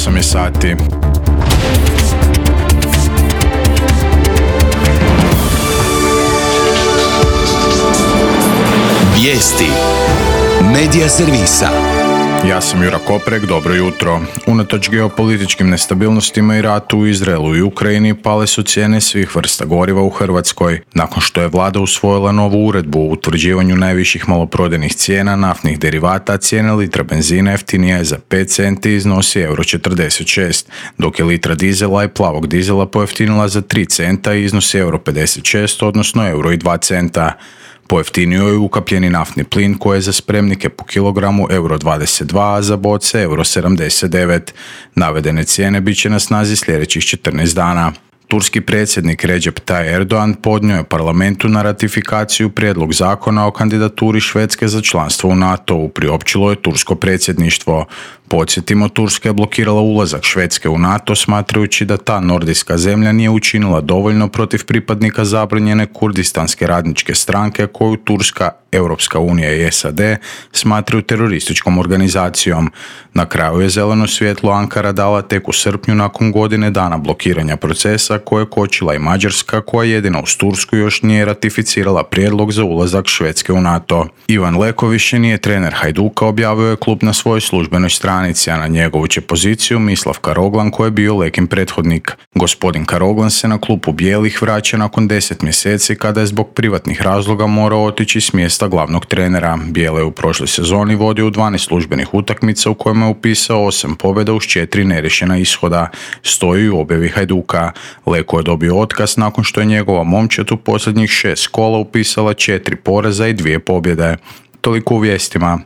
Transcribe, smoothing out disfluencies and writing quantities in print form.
8 je sati. Vijesti Medija servisa. Ja sam Jura Koprek, dobro jutro. Unatoč geopolitičkim nestabilnostima i ratu u Izraelu i Ukrajini pale su cijene svih vrsta goriva u Hrvatskoj. Nakon što je vlada usvojila novu uredbu o utvrđivanju najviših maloprodajnih cijena naftnih derivata, cijena litra benzina jeftinija je za 5 centi i iznosi €46, dok je litra dizela i plavog dizela pojeftinila za 3 centa i iznosi €56, odnosno €2. Pojeftinio je ukapljeni naftni plin koji je za spremnike po kilogramu €22, a za boce €79. Navedene cijene bit će na snazi sljedećih 14 dana. Turski predsjednik Recep Tayyip Erdogan podnio je parlamentu na ratifikaciju prijedlog zakona o kandidaturi Švedske za članstvo u NATO-u, priopćilo je tursko predsjedništvo. Podsjetimo, Turska je blokirala ulazak Švedske u NATO smatrajući da ta nordijska zemlja nije učinila dovoljno protiv pripadnika zabranjene kurdistanske radničke stranke koju Turska, Europska unija i SAD smatraju terorističkom organizacijom. Na kraju je zeleno svjetlo Ankara dala tek u srpnju nakon godine dana blokiranja procesa koje je kočila i Mađarska, koja jedina uz Tursku još nije ratificirala prijedlog za ulazak Švedske u NATO. Ivan Leko više nije trener Hajduka, objavio je klub na svojoj službenoj stranici, a na njegovu će poziciju Mislav Karoglan koji je bio Lekin prethodnik. Gospodin Karoglan se na klupu bijelih vraća nakon 10 mjeseci kada je zbog privatnih razloga morao otići s mjesta glavnog trenera. Bijele je u prošloj sezoni vodio u 12 službenih utakmica u kojima je upisao 8 pobjeda uz 4 neriješena ishoda. Stoji u objavi Hajduka. Leko je dobio otkaz nakon što je njegova momčad u posljednjih 6 kola upisala 4 poraza i 2 pobjede. Toliko u vijestima.